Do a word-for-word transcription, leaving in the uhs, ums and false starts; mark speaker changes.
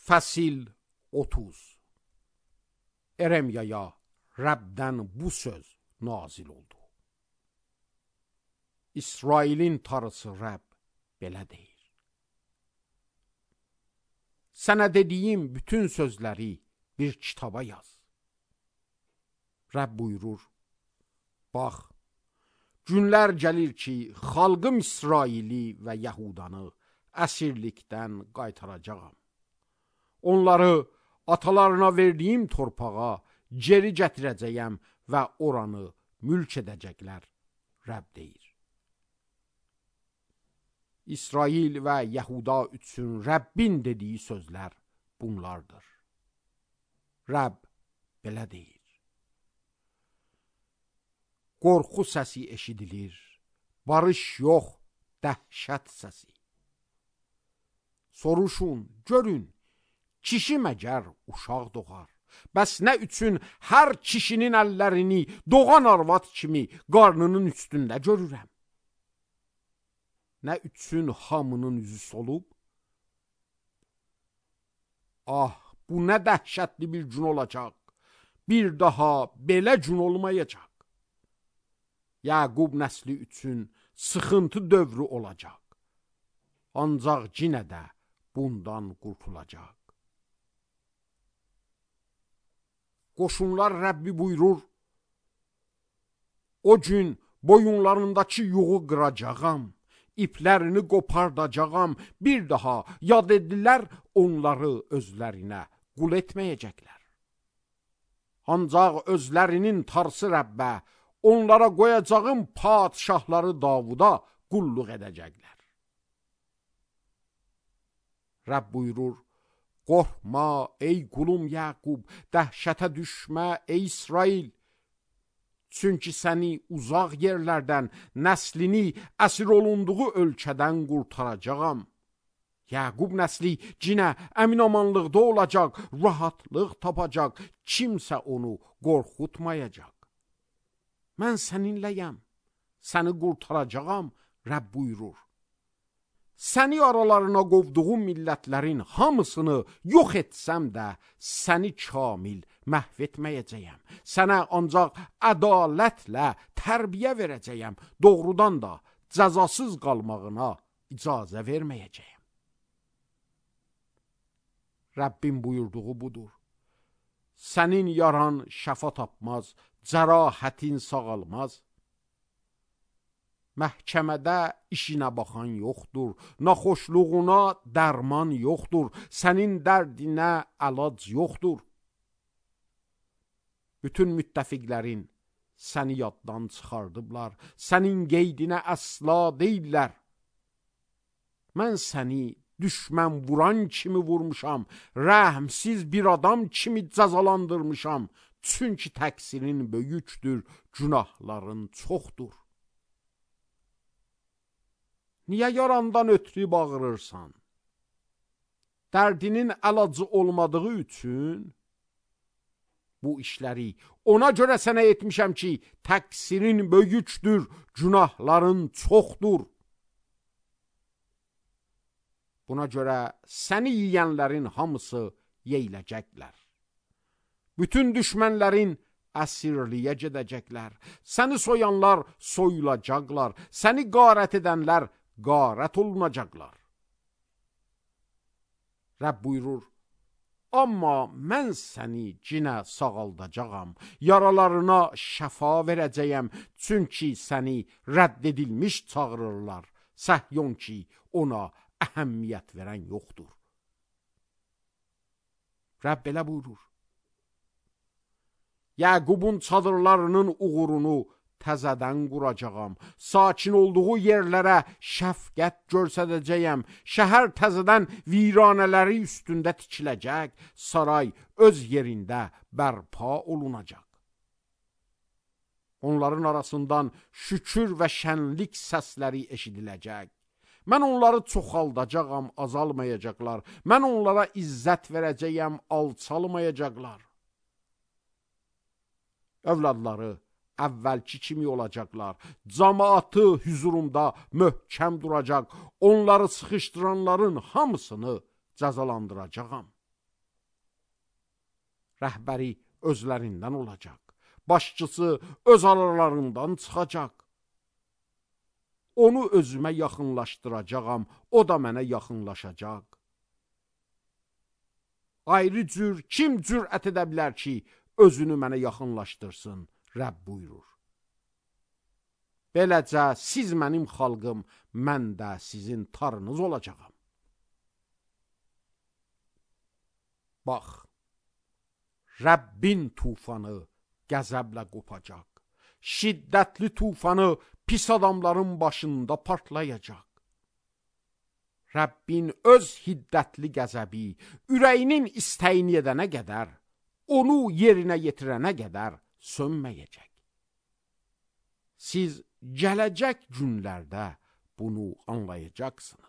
Speaker 1: Fəsil otuz. Eremyaya Rəbdən bu söz nazil oldu. İsrailin tarısı Rəbb belə deyir. Sənə dediyim bütün sözləri bir kitaba yaz. Rəbb buyurur, bax, günlər gəlir ki, xalqım İsraili və Yahudanı əsirlikdən qaytaracağam. Onları atalarına verdiyim torpağa geri gətirəcəyəm və oranı mülk edəcəklər, Rəbb deyir. İsrail və Yahuda üçün Rəbbin dediyi sözlər bunlardır. Rəbb belə deyir. Qorxu səsi eşidilir, barış yox, dəhşət səsi. Soruşun, görün, kişi məgər uşaq doğar. Bəs nə üçün hər kişinin əllərini doğan arvad kimi qarnının üstündə görürəm? Nə üçün hamının üzü solub? Ah, bu nə dəhşətli bir gün olacaq. Bir daha belə gün olmayacaq. Yaqub nəsli üçün sıxıntı dövrü olacaq. Ancaq yenə də bundan qurtulacaq. Qoşunlar Rəbbi buyurur, o gün boyunlarındakı yuğu qıracağam, iplərini qopardacağam, bir daha yad edilər, onları özlərinə qul etməyəcəklər. Ancaq özlərinin tarsı Rəbbə, onlara qoyacağım padişahları Davuda qulluq edəcəklər. Rəbb buyurur, qorxma ey qulum Yaqub, dəhşətə düşmə ey İsrail. Çünki səni uzaq yerlərdən, nəslini əsir olunduğu ölkədən qurtaracağam. Yaqub nəsli cinə əminamanlıqda olacaq, rahatlıq tapacaq, kimsə onu qorxutmayacaq. Mən səninləyəm, səni qurtaracağam, Rəbb buyurur. Səni aralarına qovduğum millətlərin hamısını yox etsəm də, səni kamil məhv etməyəcəyəm. Sənə ancaq ədalətlə tərbiyə verəcəyəm, doğrudan da cəzasız qalmağına icazə verməyəcəyəm. Rəbbin buyurduğu budur. Sənin yaran şəfa tapmaz, cərahətin sağalmaz. Məhkəmədə işinə baxan yoxdur, naxoşluğuna dərman yoxdur, sənin dərdinə əlac yoxdur. Bütün müttəfiqlərin səni yaddan çıxardıblar, sənin qeydinə əsla deyirlər. Mən səni düşmən vuran kimi vurmuşam, rəhmsiz bir adam kimi cəzalandırmışam, çünki təqsirin böyükdür, günahların çoxdur. Niyə yarandan ötürü bağırırsan? Dərdinin əlacı olmadığı üçün bu işləri ona görə sənə etmişəm ki, təqsirin böyükdür, günahların çoxdur. Buna görə səni yiyənlərin hamısı yeyiləcəklər. Bütün düşmənlərin əsirliyə gedəcəklər. Səni soyanlar soyulacaqlar. Səni qarət edənlər qarət olunacaqlar. Rəbb buyurur, amma mən səni cinə sağaldacağam, yaralarına şəfa verəcəyəm, çünki səni rədd edilmiş çağırırlar, Səhyon ki, ona əhəmiyyət verən yoxdur. Rəbb belə buyurur, Yaqubun çadırlarının uğurunu təzədən quracağam, sakin olduğu yerlərə şəfqət göstərəcəyəm, şəhər təzədən viranələri üstündə tikiləcək, saray öz yerində bərpa olunacaq. Onların arasından şükür və şənlik səsləri eşidiləcək. Mən onları çoxaldacağam, azalmayacaqlar. Mən onlara izzət verəcəyəm, alçalmayacaqlar. Övladları əvvəlki kimi olacaqlar. Cəmaatı hüzurumda möhkəm duracaq. Onları sıxışdıranların hamısını cəzalandıracağam. Rəhbəri özlərindən olacaq. Başçısı öz aralarından çıxacaq. Onu özümə yaxınlaşdıracağam, o da mənə yaxınlaşacaq. Ayrı cür kim cürət edə bilər ki, özünü mənə yaxınlaşdırsın, Rəbb buyurur. Beləcə siz mənim xalqım, mən də sizin tarınız olacağam. Bax, Rəbbin tufanı qəzəblə qopacaq. Şiddətli tufanı pis adamların başında partlayacaq. Rəbbin öz hiddətli qəzəbi ürəyinin istəyini edənə qədər, onu yerinə yetirənə qədər sönməyəcək. Siz gələcək günlərdə bunu anlayacaqsınız.